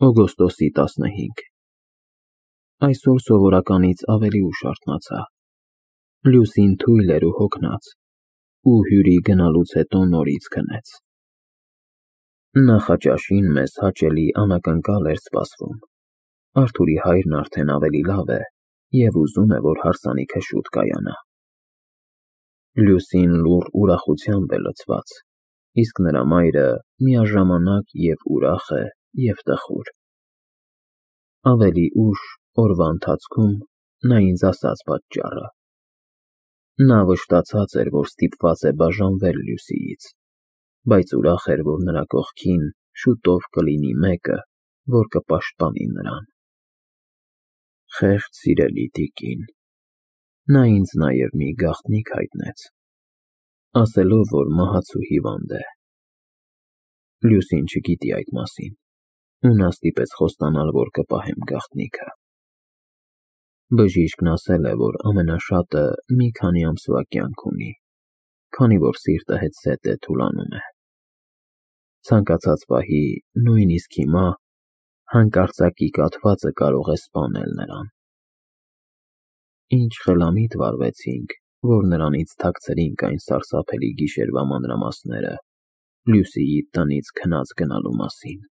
Օգոստոսի 15 Այսօր սովորականից ավելի ուշ արթնացա։ Լուսին թույլ էր ու հոգնած, ու հյուրի գնալուց հետո նորից քնեց։ Նախաճաշին մեզ հաճելի անակնկալ էր սպասվում։ Արթուրի հայրն արդեն ավելի լավ է և ուզում է, որ հարսանիքը շուտ կայանա։ Լուսին լուռ ուրախությամբ է լցված, իսկ նրա մայրը միաժամանակ և ուրախ է, և տխուր։ Ավելի ուշ, օրվա ընթացքում, նա ինձ ասաց պատճառը։ Նա վշտացած էր, որ ստիպված է բաժանվել Լուսիից, բայց ուրախ էր, որ նրա կողքին շուտով կլինի մեկը, որ կպաշտպանի նրան։ Խեղճ սիրելի տիկին։ Նա ինձ նաև մի գաղտնիք հայտնեց, ասելով, որ մահացու հիվանդ է։ Լուսին չգիտի այդ մասին, ու նա ստիպեց խոստանալ, որ կպահեմ գաղտնիքը։ Բժիշկն ասել է, որ ամենաշատը մի քանի ամսվա կյանք ունի, քանի որ սիրտը հետզհետե թուլանում է։ Ցանկացած պահի, նույնիսկ հիմա, հանկարծակի կաթվածը կարող է սպանել նրան։ Ինչ խելամիտ վարվեցինք, որ նրանից թաքցրինք այն սարսափելի գիշերվա մանրամասները Լուսիի տնից քնած գնալու մասին։